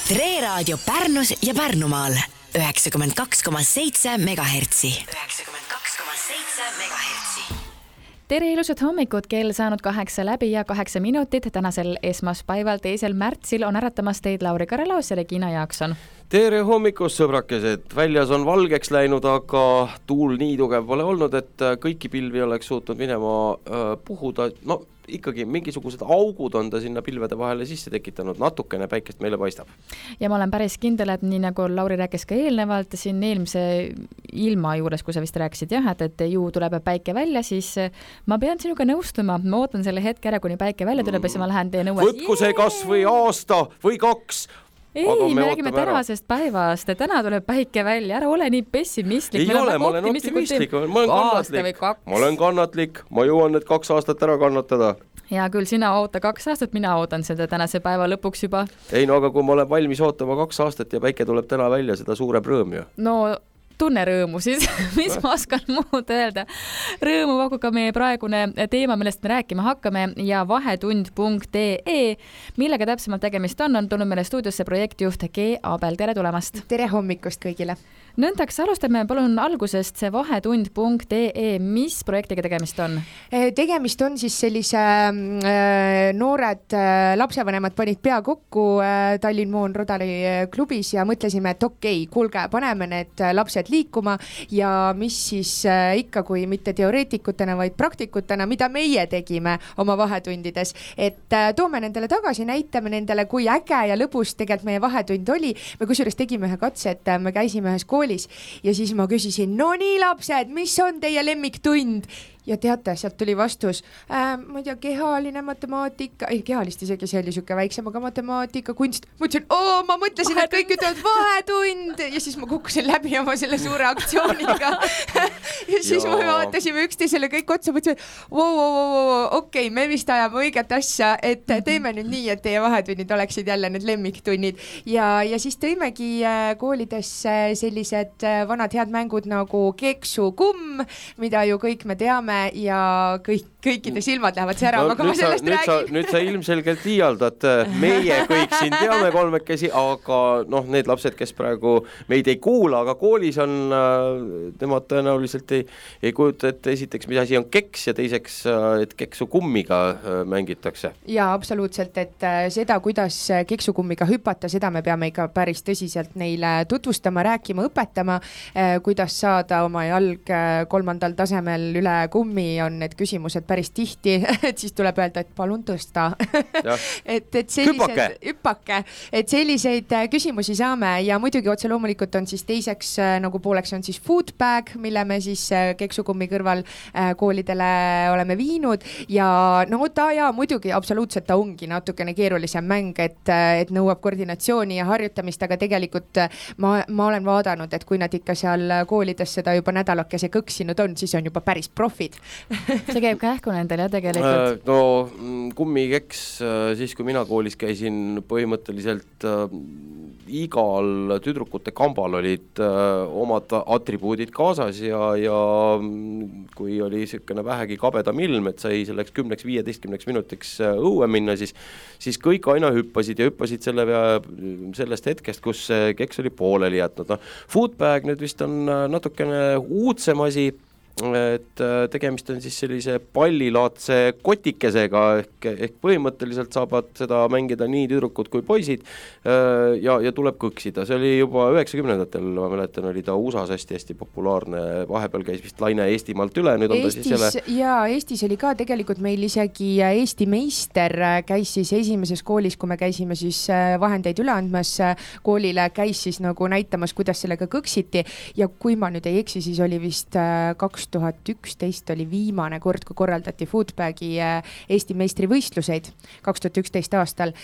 Tre Raadio Pärnus ja Pärnumaal 92,7 MHz. 92,7 MHz. Tere ilusat hommikut, kell saanud 8 läbi ja 8 minutit. Tänasel esmaspäeval 2. märtsil on äratamas teid Lauri Karelaus ja Regina Jaakson. Tere hommikust, sõbrakesed! Väljas on valgeks läinud, aga tuul nii tugev pole olnud, et kõiki pilvi oleks suutnud minema puhuda. No ikkagi mingisugused augud on ta sinna pilvede vahele sisse tekitanud. Natukene päikest meile paistab. Ja ma olen päris kindel, et nii nagu Lauri rääkis ka eelnevalt, siin eelmise ilma juures, kui sa vist rääkisid, et ju tuleb päike välja, siis ma pean sinuga nõustuma. Ma ootan selle hetke ära, kuni päike välja tuleb ja siis ma lähen teie nõues. Võtku see kas või aasta või 2. Ei, me räägime tänasest päevast. Täna tuleb päike välja. Ära ole nii pessimistlik. Ei ole, ma olen optimistlik. Ma olen kannatlik. Ma jõuan need 2 aastat ära kannatada. Ja küll sina oota 2 aastat, mina ootan seda tänase päeva lõpuks juba. Ei, no aga kui ma olen valmis ootama 2 aastat ja päike tuleb täna välja, seda suurem rõõm ju. No tunne rõõmu siis, mis ma oskan muud öelda. Rõõmu pakub ka meie praegune teema, millest me rääkima hakkame ja vahetund.ee, millega täpsemalt tegemist on tulnud meile stuudiosse projektijuht G. Abel. Tere tulemast! Tere hommikust kõigile! Nõndaks, alustame palun algusest see vahetund.ee, mis projektiga tegemist on? Tegemist on siis sellise noored lapsevanemad panid pea kokku Tallinn Moon Rodari klubis ja mõtlesime, et okei, kuulge, paneme need lapsed liikuma ja mis siis ikka, kui mitte teoreetikutena, vaid praktikutena, mida meie tegime oma vahetundides, et toome nendele tagasi, näitame nendele, kui äge ja lõbus tegelikult meie vahetund oli. Me kusjuures tegime ühe katse, et me käisime ühes koolis ja siis ma küsisin, no nii lapsed, mis on teie lemmiktund? Ja teate, sealt tuli vastus, ma ei tea, kehaline matemaatika, ei kehalist isegi, see oli siuke väiksem, aga matemaatika, kunst. Ma mõtlesin, et kõik ütlevad vahetund ja siis ma kukkusin läbi oma selle suure aktsiooniga. Ja siis me vaatasime üksteisele kõik otsa, mõtlesin, okei, me vist ajame õiget asja, et teeme nüüd nii, et teie vahetunnid oleksid jälle need lemmiktunnid. Ja siis tõimegi koolidesse sellised vanad head mängud nagu keksukumm, mida ju kõik me teame ja kõikide silmad lähevad särama, kui ma sellest räägin. Nüüd sa ilmselgelt liialdad. Meie kõik siin teame kolmekesi, aga need lapsed, kes praegu meid ei kuula, aga koolis on, nemad tõenäoliselt ei kujuta, et esiteks, mis asi on keks ja teiseks, et keksukummiga mängitakse. Ja absoluutselt, et seda, kuidas keksukummiga hüpata, seda me peame ikka päris tõsiselt neile tutvustama, rääkima, õpetama, kuidas saada oma jalg 3. tasemel üle kummi on need küsimused päris tihti, et siis tuleb öelda, et palun tõsta. et sellised, hüppake, et selliseid küsimusi saame ja muidugi otse loomulikult on siis teiseks nagu pooleks on siis food bag, mille me siis keksukummi kõrval koolidele oleme viinud ja muidugi absoluutselt ta ongi natukene keerulisem mäng, et nõuab koordinatsiooni ja harjutamist, aga tegelikult ma olen vaadanud, et kui nad ikka seal koolides seda juba nädalakese kõksinud on, siis on juba päris profid. See käib kähku nendel ja tegelikult. Kummikeks, siis kui mina koolis käisin, põhimõtteliselt igal tüdrukute kambal olid omad atribuudid kaasas ja kui oli sükene vähegi kabedam ilm, et sai selleks 10-15 minutiks õue minna, siis kõik aina hüppasid ja hüppasid sellest hetkest, kus keks oli pooleli jätnud. Foodbag nüüd vist on natukene uudsem asi, et tegemist on siis sellise pallilaadse kotikesega ehk põhimõtteliselt saavad seda mängida nii tüdrukud kui poisid ja tuleb kõksida. See oli juba 90-ndatel, ma mäletan, oli ta USAs hästi populaarne, vahepeal käis vist laine Eestimaalt üle, nüüd on ta siis jälle... Ja Eestis oli ka tegelikult meil isegi Eesti meister käis siis esimeses koolis, kui me käisime siis vahendeid üle andmas koolile, käis siis nagu näitamas, kuidas sellega kõksiti ja kui ma nüüd ei eksi, siis oli vist 2011 oli viimane kord, kui korraldati Foodbagi Eesti meistrivõistluseid 2011 aastal,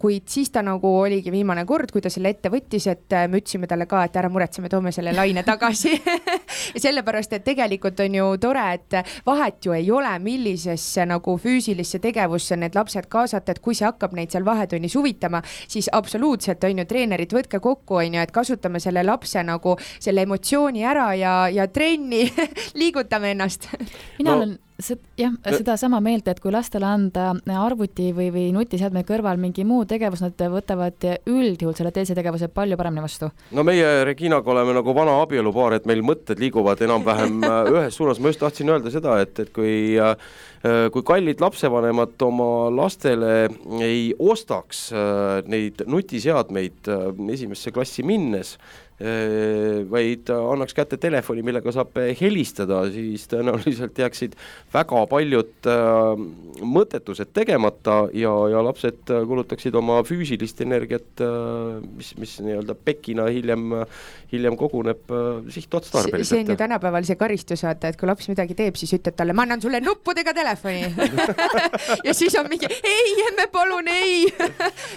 kuid siis ta nagu oligi viimane kord, kui ta selle ette võttis, et me ütlesime talle ka, et ära muretseme, toome selle laine tagasi. Ja sellepärast, et tegelikult on ju tore, et vahet ju ei ole, millisesse nagu füüsilisse tegevusse need lapsed kaasata, et kui see hakkab neid seal vahetunnis huvitama, siis absoluutselt on ju treenerid, võtke kokku, on ju, et kasutame selle lapse nagu selle emotsiooni ära ja trenni liigutame ennast. Mina olen seda sama meelt, et kui lastele anda arvuti või nutiseadme kõrval mingi muu tegevus, nad võtavad üldjuhul selle teise tegevuse palju paremini vastu. No meie Reginaga oleme nagu vana abielupaar, et meil mõtted liiguvad enam-vähem ühes suunas. Ma just tahtsin öelda seda, et kui kallid lapsevanemad oma lastele ei ostaks neid nutiseadmeid esimesse klassi minnes, vaid annaks kätte telefoni, millega saab helistada, siis tõenäoliselt jääksid väga paljud mõttetused tegemata ja lapsed kulutaksid oma füüsilist energiat, mis nii-öelda pekina hiljem koguneb sihtotstarbeliselt. See on ju tänapäeval see karistus, et kui laps midagi teeb, siis ütled talle, ma annan sulle nuppudega telefoni. Ja siis on mingi, ei, emme palun, ei.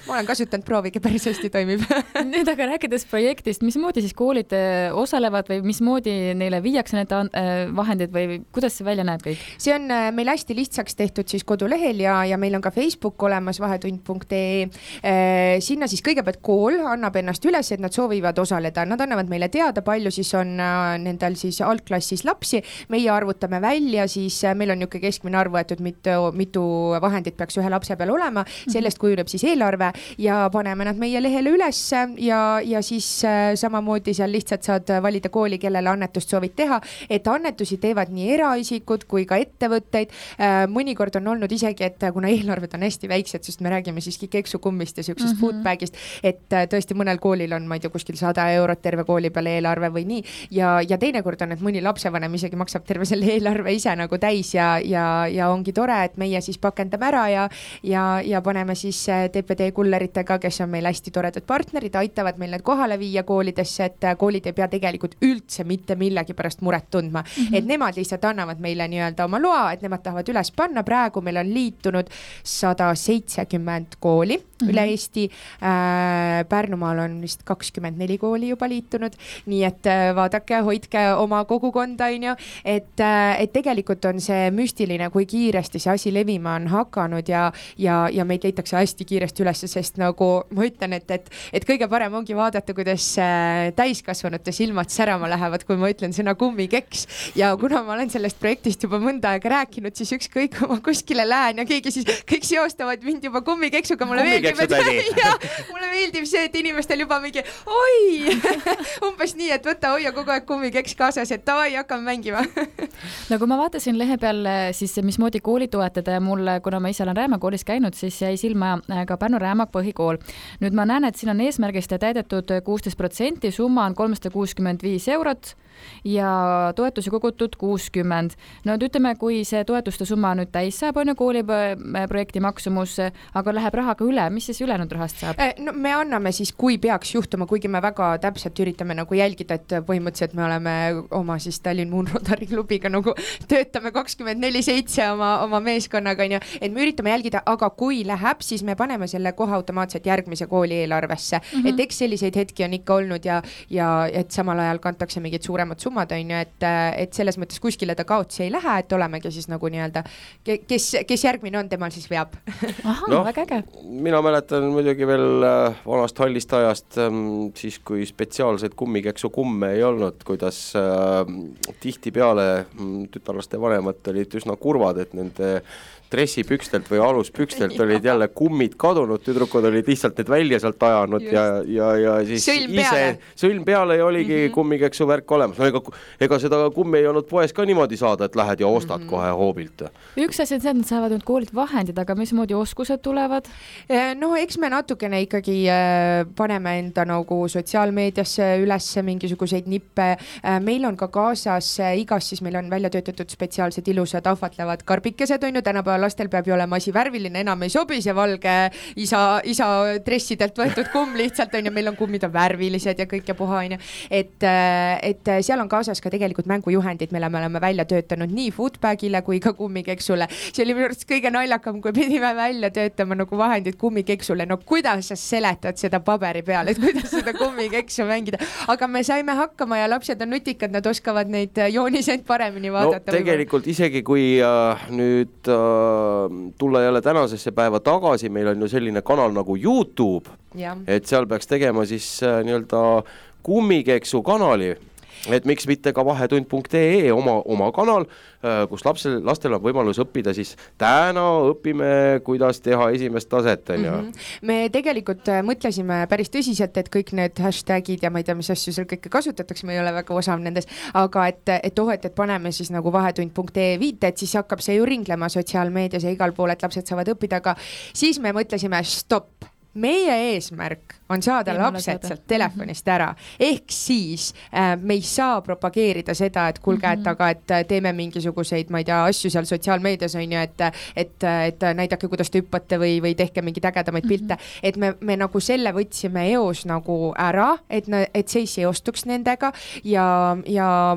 Ma olen kasutanud, proovige, päris hästi toimib. Nüüd aga rääkides projektist, mismoodi siis koolid osalevad või mismoodi neile viiakse need vahendid või kuidas see välja näeb kõik? See on meil hästi lihtsaks tehtud siis kodulehel ja meil on ka Facebook olemas vahetund.ee. Sinna siis kõigepealt kool annab ennast üles, et nad soovivad osaleda. Nad annavad meile teada, palju siis on nendel siis altklassis lapsi. Meie arvutame välja, siis meil on niisugune keskmine arv võetud, mitu vahendit peaks ühe lapse peal olema. Sellest kujuneb siis eelarve ja paneme nad meie lehele üles ja siis samamoodi seal lihtsalt saad valida kooli, kellele annetust soovid teha, et annetusi teevad nii eraisikud kui ka ettevõtteid. Mõnikord on olnud isegi, et kuna eelarved on hästi väiksed, sest me räägime siiski keksukummist ja sellisest foodbagist, et tõesti mõnel koolil on, ma ei tea, kuskil 100 eurot terve kooli peale eelarve või nii. Ja teinekord on, et mõni lapsevanem isegi maksab terve selle eelarve ise nagu täis ja ongi tore, et meie siis pakendame ära ja paneme siis TPD kulleritega, kes on meil hästi toredad partnerid, aitavad meil need kohale viia koolidesse, et koolid ei pea tegelikult üldse mitte millegi pärast muret tundma. Et nemad lihtsalt annavad meile nii-öelda oma loa, et nemad tahavad üles panna. Praegu meil on liitunud 170 kooli üle Eesti. Pärnumaal on vist 24 kooli juba liitunud. Nii et vaadake, hoidke oma kogukonda, et tegelikult on see müstiline, kui kiiresti see asi levima on hakanud ja meid leitakse hästi kiiresti üles, sest nagu ma ütlen, et kõige parem ongi vaadata, kuidas täiskasvanute silmad särama lähevad, kui ma ütlen sõna kummikeks. Ja kuna ma olen sellest projektist juba mõnda aega rääkinud, siis ükskõik kui ma kuskile lähen ja keegi siis kõik seostavad mind juba kummikeksuga. Mulle meeldib see, et inimestel juba mingi oi, umbes nii, et võta hoia kogu aeg kummikeks kaasas, et davai, hakkame mängima. No kui ma vaatasin lehe peal siis mismoodi kooli toetada ja mulle, kuna ma ise olen Rääma koolis käinud, siis jäi silma ka Pärnu Rääma põhikool. Nüüd ma näen, et siin on eesmärgist täidetud 16%, summa on 365 eurot ja toetusi kogutud 60. No ütleme, kui see toetuste summa nüüd täis saab, on ju kooli projekti maksumus, aga läheb rahaga üle, mis siis ülejäänud rahast saab? No me anname siis, kui peaks juhtuma, kuigi me väga täpselt üritame nagu jälgida, et põhimõtteliselt me oleme oma siis Tallinn Moon Rotary klubiga nagu töötame 24/7 oma meeskonnaga, et me üritame jälgida, aga kui läheb, siis me paneme selle kohe automaatselt järgmise kooli eelarvesse. Et eks selliseid hetki on ikka olnud ja et samal ajal kantakse mingid suuremad summad, et selles mõttes kuskile ta kaotsi ei lähe, et olemegi siis nagu nii-öelda, kes järgmine on, temal siis veab. Aha, väga äge. Mina mäletan muidugi veel vanast hallist ajast, siis kui spetsiaalseid kummikeksu kumme ei olnud, kuidas tihtipeale tütarlaste vanemad olid üsna kurvad, et nende dressipükstelt või aluspükstelt olid jälle kummid kadunud, tüdrukud olid lihtsalt need välja sealt ajanud ja siis sõlm peale ja oligi kummikeksu värk olemas. No ega seda kummi ei olnud poes ka niimoodi saada, et lähed ja ostad kohe hoobilt. Üks asi on see, et nad saavad nüüd koolid vahendid, aga mismoodi oskused tulevad? No eks me natukene ikkagi paneme enda nagu sotsiaalmeediasse üles mingisuguseid nippe. Meil on ka kaasas igas, siis meil on välja töötatud spetsiaalsed ilusad ahvatlevad karbikesed, on ju, tänapäeval lastel peab ju olema asi värviline, enam ei sobi see valge isa dressidelt võetud kumm lihtsalt, on ju, meil on kummid on värvilised ja kõik ja puha, on ju. Et seal on kaasas ka tegelikult mängujuhendid, mille me oleme välja töötanud nii foodbagile kui ka kummikeksule. See oli minu arust kõige naljakam, kui pidime välja töötama nagu vahendid kummikeksule. No kuidas sa seletad seda paberi peal, et kuidas seda kummikeksu mängida? Aga me saime hakkama ja lapsed on nutikad, nad oskavad neid jooniseid paremini vaadata. No tegelikult isegi kui nüüd tulla jälle tänasesse päeva tagasi, meil on ju selline kanal nagu YouTube, et seal peaks tegema siis nii-öelda kummikeksu kanali. et miks mitte ka vahetund.ee oma kanal, kus lastel on võimalus õppida, siis täna õpime, kuidas teha esimest taset. Me tegelikult mõtlesime päris tõsiselt, et kõik need hashtagid ja ma ei tea, mis asju seal kõike kasutatakse, me ei ole väga osav nendes, aga et paneme siis nagu vahetund.ee viite, et siis hakkab see ju ringlema sotsiaalmeedias ja igal pool, et lapsed saavad õppida, aga siis me mõtlesime, stopp. Meie eesmärk on saada lapsed sealt telefonist ära, ehk siis me ei saa propageerida seda, et kuulge, et teeme mingisuguseid, ma ei tea, asju seal sotsiaalmeedias on ju, et näidake, kuidas te hüppate või tehke mingeid ägedamaid pilte, et me nagu selle võtsime eos nagu ära, et see ei seostuks nendega ja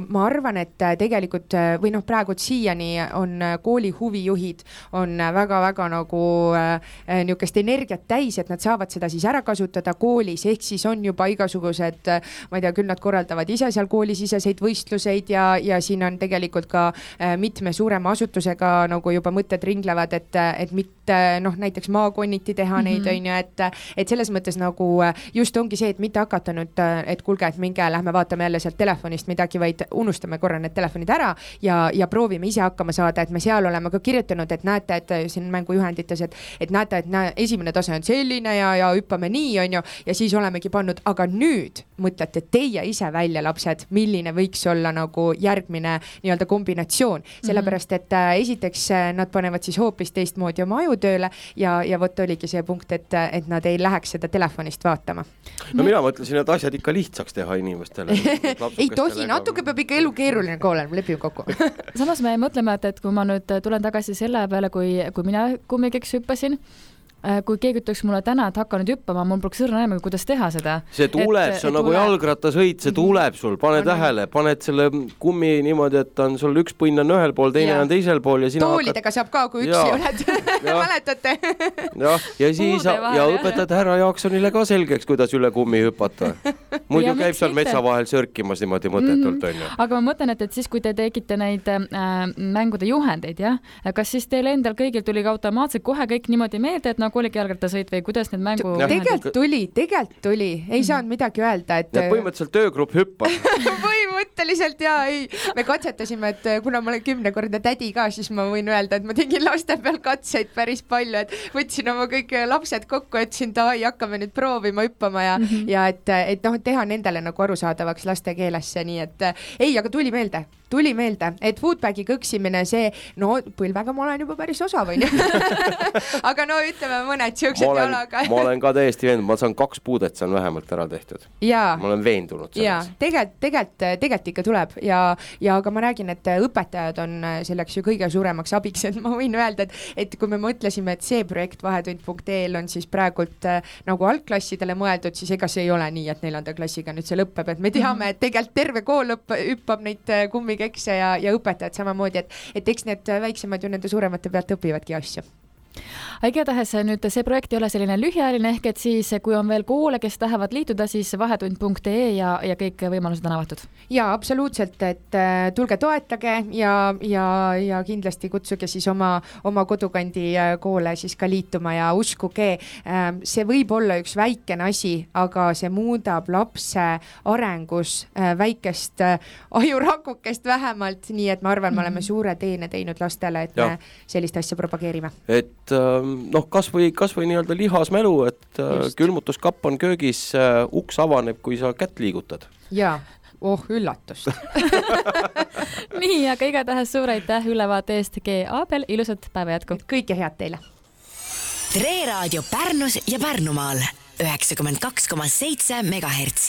ma arvan, et tegelikult või praegu siiani on kooli huvijuhid on väga-väga nagu niisugust energiat täis, et nad saavad seda siis ära kasutada koolis, ehk siis on juba igasugused, ma ei tea, küll nad korraldavad ise seal koolisiseseid võistluseid ja siin on tegelikult ka mitme suurema asutusega nagu juba mõtted ringlevad, et mitte näiteks maakonniti teha neid, on ju, et selles mõttes nagu just ongi see, et mitte hakata nüüd, et kuulge, et minge, lähme vaatame jälle sealt telefonist midagi, vaid unustame korra need telefonid ära ja proovime ise hakkama saada, et me seal oleme ka kirjutanud, et näete, et siin mängujuhendites, et näete, et esimene tase on selline ja hüppame nii, on ju, ja siis olemegi pannud, aga nüüd mõtlete teie ise välja, lapsed, milline võiks olla nagu järgmine nii-öelda kombinatsioon, sellepärast, et esiteks nad panevad siis hoopis teistmoodi oma ajutööle ja vot oligi see punkt, et nad ei läheks seda telefonist vaatama. No mina mõtlesin, et asjad ikka lihtsaks teha inimestele. Ei tohi, natuke peab ikka elu keeruline ka olema, lepime kokku. Samas me mõtleme, et kui ma nüüd tulen tagasi selle peale, kui mina kummikeks hüppasin, kui keegi ütleks mulle täna, et hakka nüüd hüppama, mul poleks õrna aimu, kuidas teha seda. See tuleb, see on nagu jalgrattasõit, see tuleb sul, pane tähele, paned selle kummi niimoodi, et on sul üks põnn on ühel pool, teine on teisel pool ja sina toolidega saab ka, kui üksi oled, mäletate? Ja siis ja õpetad härra Jaaksonile ka selgeks, kuidas üle kummi hüpata. Muidu käib seal metsa vahel sörkimas niimoodi mõtetult, on ju. Aga ma mõtlen, et siis kui te tegite neid mängude juhendeid, kas siis teil endal kõigil tuli ka automaatselt kohe kõik niimoodi meelde, et oligi jalgrattasõit või kuidas need mängu... Tegelikult tuli. Ei saanud midagi öelda, et... Põhimõtteliselt töögrupp hüppab. Põhimõtteliselt ei. Me katsetasime, et kuna ma olen 10-kordne tädi ka, siis ma võin öelda, et ma tegin laste peal katseid päris palju, et võtsin oma kõik lapsed kokku, ütlesin, hakkame nüüd proovima hüppama ja et teha nendele nagu arusaadavaks laste keelesse, nii et ei, aga tuli meelde, et foodbagi kõksimine, see, põlvega ma olen juba päris osav, on ju. Aga ütleme mõned siuksed jalaga. Ma olen ka täiesti veendunud, ma saan 2 puudet, see on vähemalt ära tehtud. Ma olen veendunud selles. Tegelikult ikka tuleb ja aga ma räägin, et õpetajad on selleks ju kõige suuremaks abiks, et ma võin öelda, et kui me mõtlesime, et see projekt vahetund.ee on siis praegult nagu algklassidele mõeldud, siis ega see ei ole nii, et 4. klassiga nüüd see lõpeb, et me teame, et tegelikult terve kool hüppab neid kummikekse ja õpetajad samamoodi, et eks need väiksemad ju nende suuremate pealt õpivadki asju. Igatahes nüüd see projekt ei ole selline lühiajaline, ehk et siis kui on veel koole, kes tahavad liituda, siis vahetund.ee ja kõik võimalused on avatud. Ja absoluutselt, et tulge toetage ja kindlasti kutsuge siis oma kodukandi koole siis ka liituma ja uskuge, see võib olla üks väikene asi, aga see muudab lapse arengus väikest ajurakukest vähemalt, nii et ma arvan, me oleme suure teene teinud lastele, et me sellist asja propageerime. Et kas või nii-öelda lihasmälu, et külmutuskapp on köögis, uks avaneb, kui sa kätt liigutad. Jaa, üllatust. Nii, aga igatahes suur aitäh ülevaate eest, G. Aabel, ilusat päeva jätku. Kõike head teile. Tre Raadio Pärnus ja Pärnumaal 92,7 MHz.